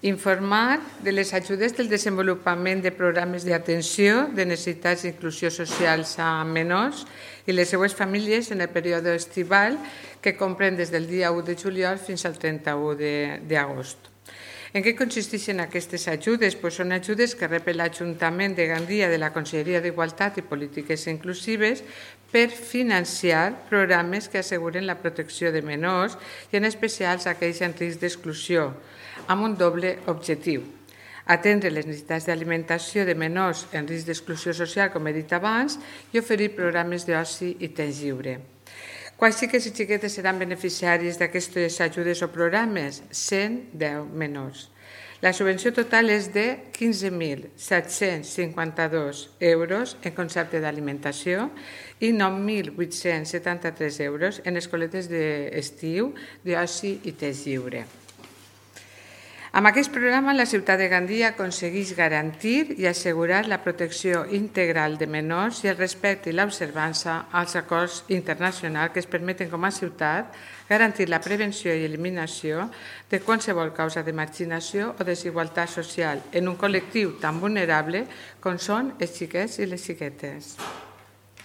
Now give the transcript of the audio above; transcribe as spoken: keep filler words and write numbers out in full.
Informar de les ajudes del desenvolupament de programes d'atenció de necessitats d'inclusió socials a menors i les seues famílies en el període estival que comprèn des del dia u de juliol fins al trenta-u d'agost. En què consisteixen aquestes ajudes? Pues són ajudes que rep l'Ajuntament de Gandia de la Conselleria d'Igualtat i Polítiques Inclusives per financiar programes que asseguren la protecció de menors i en especial aquells en risc d'exclusió, amb un doble objectiu: atendre les necessitats d'alimentació de menors en risc d'exclusió social, com he dit abans, i oferir programes d'oci i temps lliure. Quants xiquets i xiquetes seran beneficiaris d'aquestes ajudes o programes? cent deu menors. La subvenció total és de quinze mil set-cents cinquanta-dos euros en concepte d'alimentació i nou mil vuit-cents setanta-tres euros en escoletes d'estiu, d'oci i temps lliure. Amb aquest programa, la ciutat de Gandia aconsegueix garantir i assegurar la protecció integral de menors i el respecte i l'observança als acords internacionals que es permeten com a ciutat garantir la prevenció i eliminació de qualsevol causa de marginació o desigualtat social en un col·lectiu tan vulnerable com són els xiquets i les xiquetes.